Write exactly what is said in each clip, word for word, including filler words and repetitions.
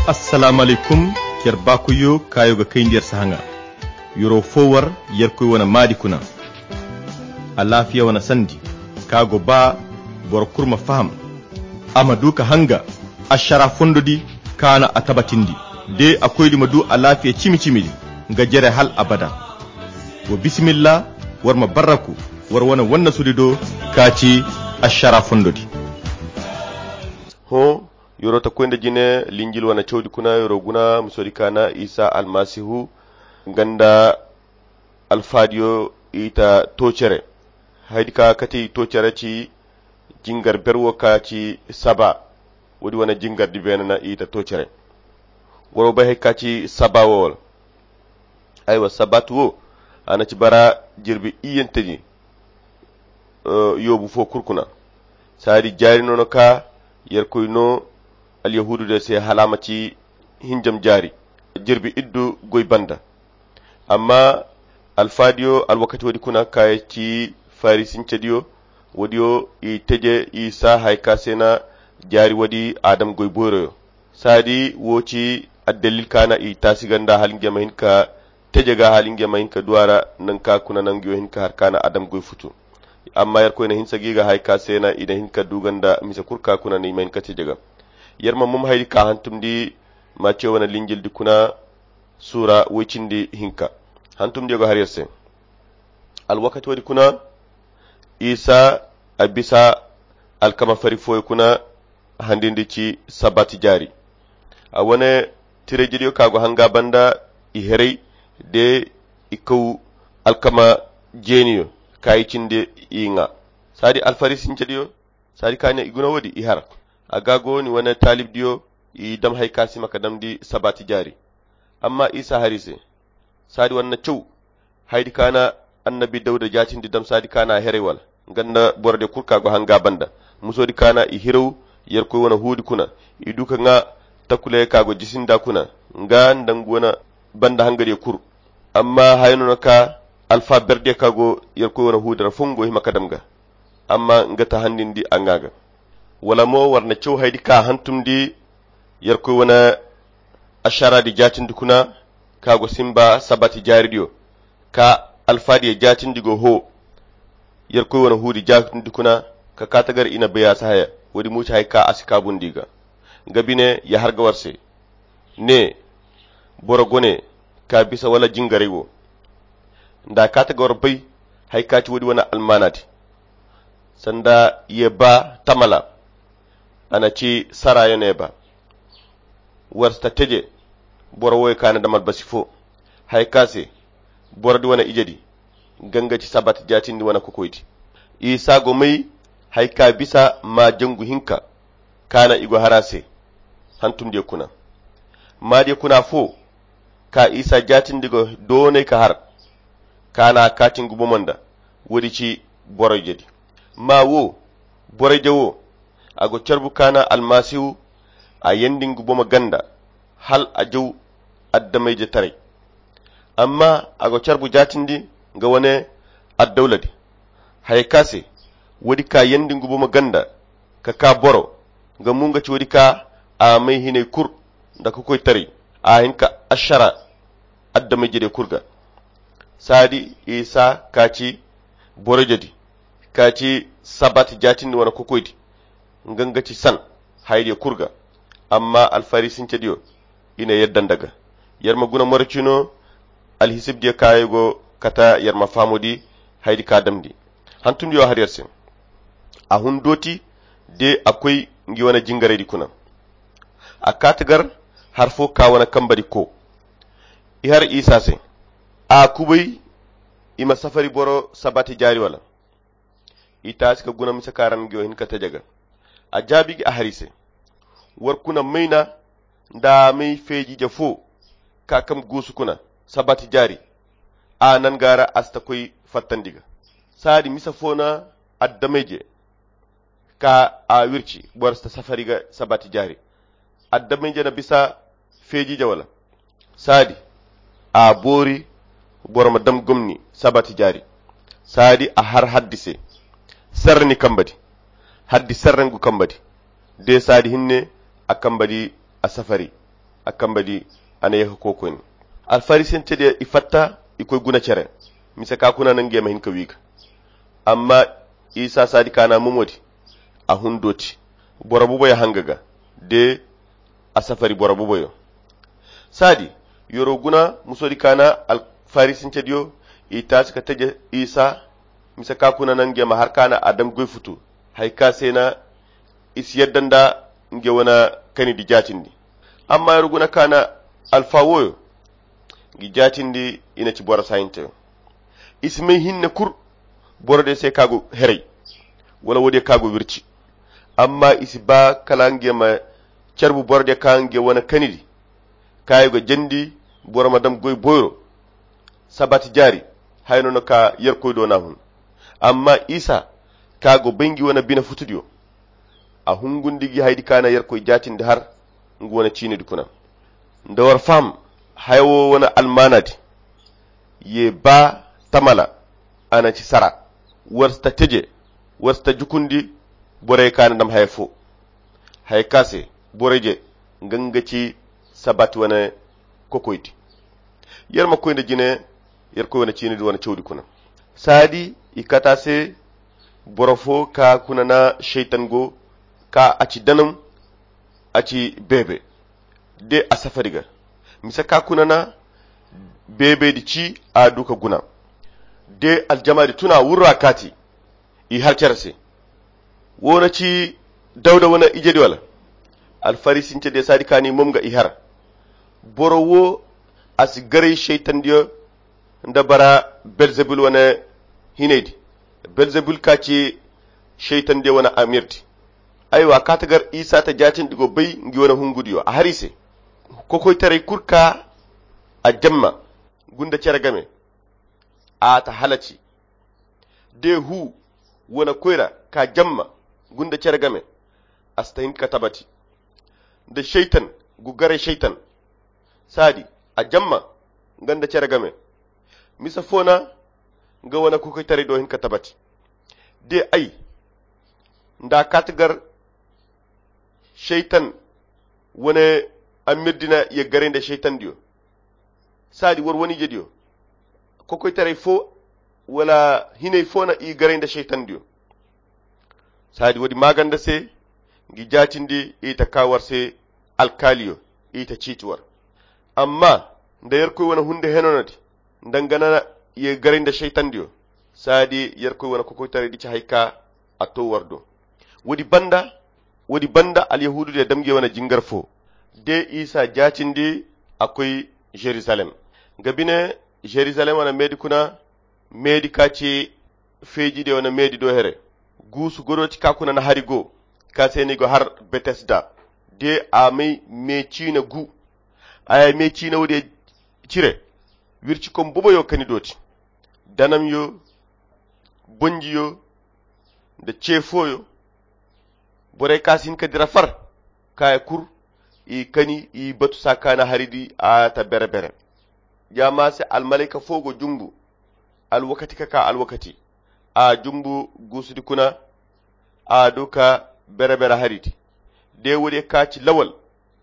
Assalaamu alaykum. Yer baakoyyo kaayo ga kayndi yer sahaŋa. Yer'o fo war yerkoy wane maadi kuna. Alaafiya wane sandi ka go ba boro kulu ma faham, a ma du ka hanga ašara fondo di ka na a tabatindi. De a koydi ma du alaafiya cimi-cimi di nga jere hal abada. Wa bisimilla, war ma barraku war wane wannasudi do ka ci ašara fondo di. Hõ, yer'o ta koy nda jine linjil wane cawdi kuna yer'o guna musoodi ka na isa almasihu nga nda alfaadiyo i ta to cere. Haydi ka kate i to cere ci jingar ber wo ka ci saba. Woodi wane jingar di beene na i ta to cere. Waro bay hay ka ci saba wo wala? Aywa sabat wo a na ci bara jirbi iyyante di. Yoobu fo kulu kuna saadi jaari no no ka yerkoy no alyahuudu de se hala a ma ci hinjam jaari jirbi iddu goy banda. Amma alfaadiyo alwakati woodi kuna ka ci farisincediyo woodiyo i teje i saa hay ka se na jaari woodi adam goy boyroyo. Saadi wo ci addalil ka na i taasi ga nda hala ngey ma hin ka teje ga hala ngey ma hin ka du a ra. Nangu ka kuna nanguyo hin ka har ka na adam goy futu. Amma yerkoy na hinsa ga i ga hay ka se na i na hin ka du ga nda mise kulu ka kuna na i ma hin ka teje ga. Yer ma mum haydi ka hantumndi ma ce wane linjildi kuna suura woy cindi hinka. Hantumndiyo ga har yer se alwakati woodi kuna isa a bisa alkama fari fooyo kuna handindi ci sabat jaari. A wane tirayjediyo ka go hanga banda i heray de i kaw alkama jeeniyo ka i cindi i ŋa. Saadi alfarisincediyo saadi ka ne i guna woodi i har a ga go ni wane taalibdiyo i dam hay ka si ma ka damndi sabat jaari. Amma isa har i se saadi wane na caw haydi ka na annabi dawda jaatindi dam saadi ka na a heray wala nga nda borodiyo kulu ka go hanga banda musoodi ka na i hiraw yerkoy wane huudi kuna i du ka ŋa takuley ka go jisi nda kuna nga nda nga wane banda hangadiyo kulu. Amma haya no na ka alfa berdiyo ka go yerkoy wane huudi ra fongo hima ka dam ga amma nga ta handindi a ŋa ga. Wala mo war na caw haydi ka hantumndi yerkoy wane ašaraadi jaatindi kuna ka go simba sabat jaaridiyo ka alfaadiyo jaatindi go hoo yerkoy wane huudi jaatindi kuna ka kaata gar i na bay a si haya. Woodi mo ci hay ka a si kaabundi ga nga bine ya har ga war se ne boro gone ka bisa wala jingaray wo. Nda a kaata ga war bay hay ka ci woodi wane almaanaadi sanda ye ba tamala a na ci saraayo ne ba war si ta teje boro wooyo ka na dam albasi fo. Hay ka se borodi wane ijedi nga nga ci sabat jaatindi wane kokoydi. Isa go may hay ka bisa maa jangu hinka ka na i go har a se hantumdiyo kuna. Maadiyo kuna fo ka isa jaatindi go doonay ka har ka na a kaati nga bomo nda woodi ci boroyjedi. Maa wo boroyje wo a go carbu ka na almasihu a yeendi nga bomo ganda hal a jaw addamayjetaray. Amma a go carbu jaatindi nga wane addawladi haya ka se woodi ka yeendi nga bomo ganda ka kaa boro nga mo nga ci woodi ka a may hinay kulu nda kokoytaray a hin ka ašara addamayjediyo kulu ga. Saadi isa ka ci boroyjedi ka ci sabat jaatindi wane kokoydi nga nga ci san hayadiyo kulu ga. Amma alfarisincediyo i na yadda nda ga yer ma guna moro cino alhisibdiyo kaayo go kata yer ma fahamudi hayadi ka damndi. Hantumdiyo har yer se a hun dooti de a koy ngi wane jingaraydi kuna. A kaati gar har fo ka wane kambadi ko i har isa se a kubay i ma safari boro sabati jaari wala? I taasi ka guna mise ka ra nga yo hin ka teje ga. A jaabi gi a har i se war kuna mayna nda a may feeji-ije fo ka kam guusu kuna sabati jaari. A nan ga ra a si ta koy fattandi ga saadi mise fo na addamayje ka a wirci boro si ta safari ga sabati jaari. Addamayje na bisa feeji-ije wala? Saadi a boori boro ma dam gomni sabati jaari. Saadi a har haddi se serre ni kambadi haddi serre ngu kambadi de saadi hinne a kambadi a safari. A kamba di, a na ye ka koy koyne. Alfarisance diya i fatta, i koy guna cere, mise ka kuna na ngey ma hin ka wi ga. Amma isa saadi ka na momo di, a hun dooti boro buboyo hanga ga, de a safari boro buboyo. Saadi, yoro guna muso di ka na alfarisance diyo, i taasi ka teje isa, mise ka kuna na ngey ma har ka na a dam goy futu, hari ka se na i si yadda nda ngey wane kani di jaatindi. Amma yoro guna ka na alfa wooyo, ngi jaatindi i na ci boro saayinteyo. I si may hinne kul boro diyo se ka go heray, wala woodiyo ka go wirci. Amma i si ba kala ngey ma carbu boro diyo ka ngey wane kani di, ka i go jandi boro ma dam goy boyro. Sabat jaari, haya no no ka yerkoy do na hun. Amma isa, ka go bay ngi wane bine futudiyo, a hungundi gi haydi ka na yerkoy jaatindi har ngu wane ciinidi kuna. Nda war faham haya wo wane almaanadi, ye ba tamala, a na ci sara. War si ta teje, war si ta jukundi borey ka na dam haya fo. Haya ka se borey je, nga nga ci sabat wane kokoydi. Yer ma koy nda jine, yer koy wane ciinidi wane cawdi kuna. Saadi i kata se, boro fo ka kuna na seytan go, ka a ci danam, a ci beebe, de a safari ga. Mise ka kuna na beebe di ci, a du ka guna, de aljama di tuna wurra kaati. I har care se. Wo na ci dawda wane ije di wala? Alfarisince de saadi ka ni mom ga i har. Boro wo, a si garay seytan diyo nda bara belzebul wane hinay di. Belzebul ka ci seytan diyo wane amir di. Aywa ka ta gar isa ta jaatindi go bay ngi wane hungu diyo a har i se. Kokoytaray kul ka a jamma gunda care game, a ta halaci. De hu wane koyra ka jamma gunda care game, a si ta hin ka tabati. Nda seytan gu garay seytan, saadi a jamma nga nda care game. Mise fo na nga wane kokoytaray do hin ka tabati. De ay nda a kaati gar seytan wane amir di na ye garay nda seytan diyo. Saadi war wane ije diyo, kokoytaray fo wala hinay fo na i garay nda seytan diyo. Saadi woodi maaganda se, ngi jaatindi i ta ka war se alkaaliyo, i ta ciiti war. Amma nda yerkoy wane hunde heno no di, nda nga na ye garay nda seytan diyo, saadi yerkoy wane kokoytaray di ci hari ka a to war do. Woodi banda woodi banda alyahuudu diyo dam ngey wane jingar fo, de isa jaatindi a koy jerusalem. Nga bine jerusalem wane meedi kuna, meedi ka ci feeji diyo wane meedi do here. Guusu godo ti ka kuna na hari go, ka se ni go har betesda, de a may me ciine gu. A ya me ciine woodiyo cire, wircikom boboyo kani dooti, danamyo, bonjiyo, nda ce fooyo. Borey ka si hin ka dira far, kaaya kul, i kani i batu saakaana hari di a ta bere-bere. Ya ma se almalayka fo go jumbu alwakati ka ka alwakati, a jumbu guusudi kuna, a du ka bere-bere hari di. De woodiyo ka ci lawal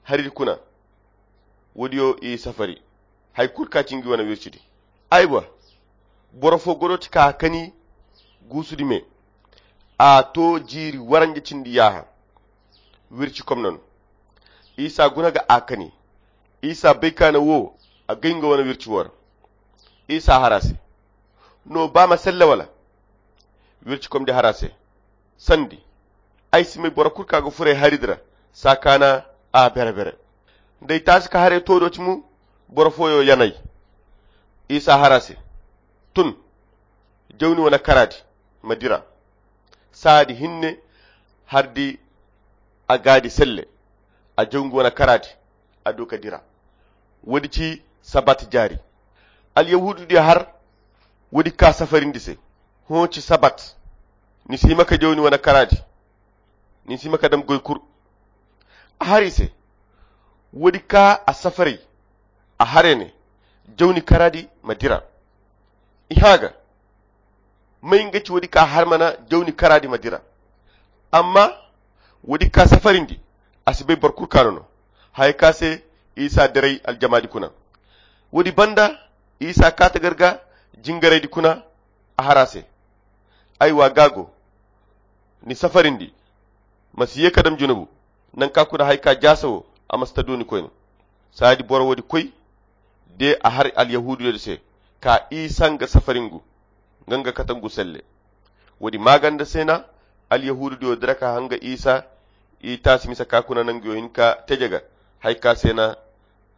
hari di kuna, woodiyo i safari. Hari kul ka ci ngi wane wircidi. Aywa, boro fo godo ti ka kani guusudi me, a to jiiri waranja cindi yaaha. Wirci komna no. Isa guna ga a kani. Isa bay ka na wo a gay nga wane wirci wo ra. Isa har a se, no ba ma selle wala? Wirci komdi har a se, sandi, ay si may boro kul ka ga furay hari di ra, saakaana a bere-bere. Nda ay taasi ka haray to do ti mo, boro fooyo yanay. Isa har a se, tun, jawni wane karaadi ma dira. Saadi hinne, har di a gaadi selle, a jaw ngi wane karaadi, a du ka dira. Woodi ci sabat jaari. Alyahuudu diyo har woodi ka safarindi se. Hõ ci sabat, ni si hima ka jaw ni wane karaadi, ni si hima ka dam goy kul. A har i se, woodi ka a safaray, a har i ne, jaw ni karaadi ma dira. I hã ga, may nga ci woodi ka har mana jawni karaadi ma dira. Amma woodi ka safarindi, a si bay boro kul ka no no. Haya ka se isa diray aljamaadi kuna. Woodi banda isa kaata gar ga jingaraydi kuna a har a se. Ay wa gaago ni safarindi ma si ye ka dam junubu. Nangu ka kuna hari ka jaasa wo a ma si ta dooni koyne. Saadi boro woodi koy de a har alyahuuduyoodi se ka isa nga safaringu nga nga kate ngu selle. Woodi maaganda se na alyahuududiyo dira ka hanga isa i taasi mise ka kuna nanguyo hin ka teje ga hari ka se na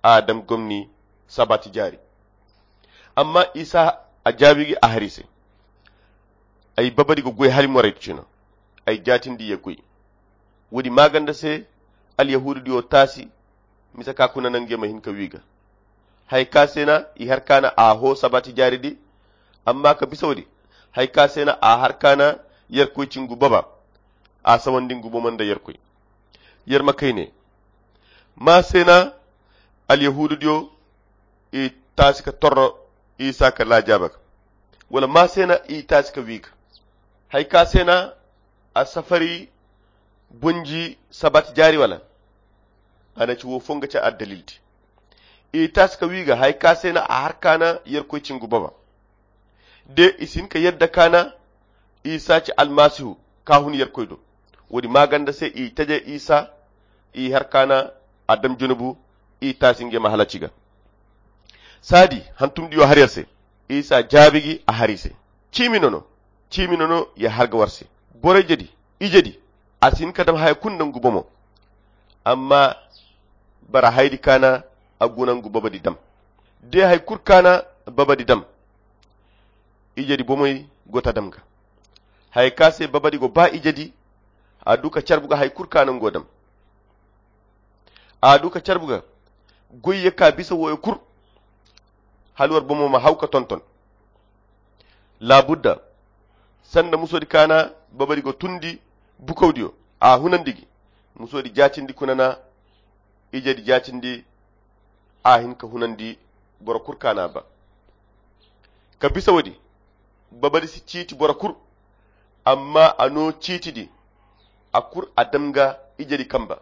a dam gomni sabaati jaari. Amma isa a jaabi gi a har i se. Ay babadi ga goy hala moraydi cina. Ay jaatindi ye goy. Woodi maaganda se alyahuududiyo taasi mise ka kuna nangu ye ma hin ka wi ga. Hari ka se na i har ka na a hoo sabaati jaaridi. Amma ka bisa woodi hari ka se na a har ka na yerkoy ci ngu baba. A sawandi ngu bomo nda yerkoy. Yer ma kay ne ma se na alyahuududiyo i taasi ka torro isa ka laajaaba ga wala ma se na i taasi ka wi ga. Hari ka se na a safari bunji sabaati jaari wala a na ci wo fo nga ci addalildi. I taasi ka wi ga hari ka se na a har ka na yerkoy ci ngu baba. De i si hin ka yadda ka na isa ci almasihu ka hun yerkoy do. Woodi maaganda se i teje isa i har ka na a dam junubu i taasi nga ye ma halaci ga. Saadi hantumdiyo har yer se. Isa jaabi gi a har i se. Ciimi nono ciimi nono ya har ga war se. Boro ijedi ijedi a si hin ka dam haya kulu nda ngu bomo. Amma bara haydi ka na a guna ngu babadi dam. De hari kulu ka na babadi dam ijedi bomey go ta dam ga. Haya ka se babadi go ba ijedi a du ka carbu ga hari kulu ka na ngu dam. A du ka carbu ga goy ye ka bisa wooyo kulu hala war bomo ma haw ka tonton. Laabudda sanda musoodi ka na babadi go tundi bukawdiyo a hunandi gi. Musoodi jaatindi kuna na ijedi jaatindi a hin ka hunandi boro kulu ka na a ba. Ka bisa woodi babadi si ciiti boro kulu. Amma a no ciitidi a kulu a dam ga ijedi kamba.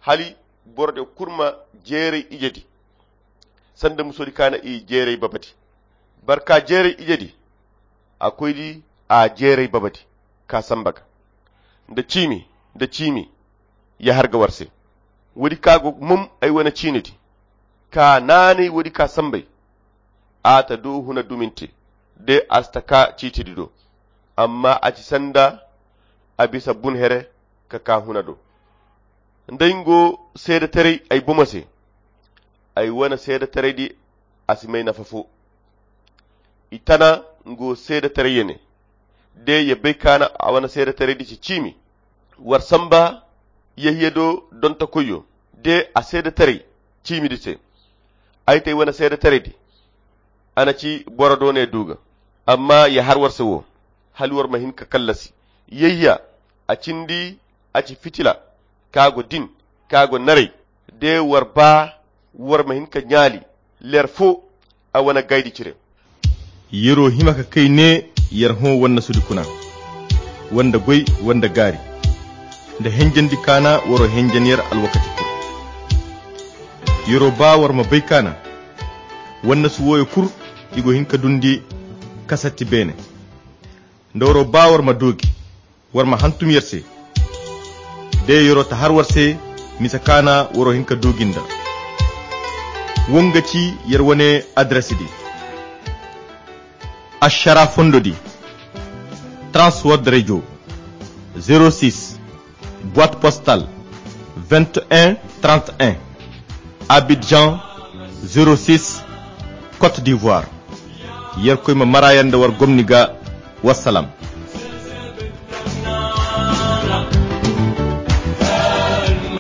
Hala boro diyo kulu ma jeeray ijedi sanda musoodi ka na i jeeray babadi. Barka jeeray ijedi a koydi a jeeray babadi ka samba ga nda ciimi nda ciimi ya har ga war se. Woodi ka go mum ay wane ciinidi ka naanay woodi ka sambay. A ta du huna duminte de a si ta ka ciitidi do. Amma a ci sanda a bisa bun here ka ka huna do. Nda ay ngo seedetaray ay bomo se. Ay wane seedetaraydi a si may nafa fo. I tana ngo seedetaray ye ne de ye bay ka na a wane seedetaraydi ci ciimi. War samba yehiya do dontokoyyo de a seedetaray ciimidi se. Ay te ay wane seedetaraydi a na ci boro do ne du ga. Amma ya har war se wo hala war ma hin ka kallasi. Yehiya a cindi a ci fitila ka go din ka go naray de war ba war ma hin ka ɲaali leer fo a wane gaydi cire. Yer'o hima ka kay ne yer hõ wannasudi kuna wanda goy wanda gaari nda henjandi kaana war'o henjan yer alwakati kul. Yer'o ba war ma bay kaana wannasu wooyo kul i go hin ka dundi kasatti beene. Nda war'o ba war ma doogi war ma hantum yer se. De yer'o ta har war se mise kaana war'o hin ka doogi nda wo nga ci yer wane adres di. Ašara fondo di, transword radio, zero six, boite postale, vingt et un trente et un, Abidjan, zero six, Côte d'Ivoire. Yerkoy ma mara yanda war gomni ga. Wassalam.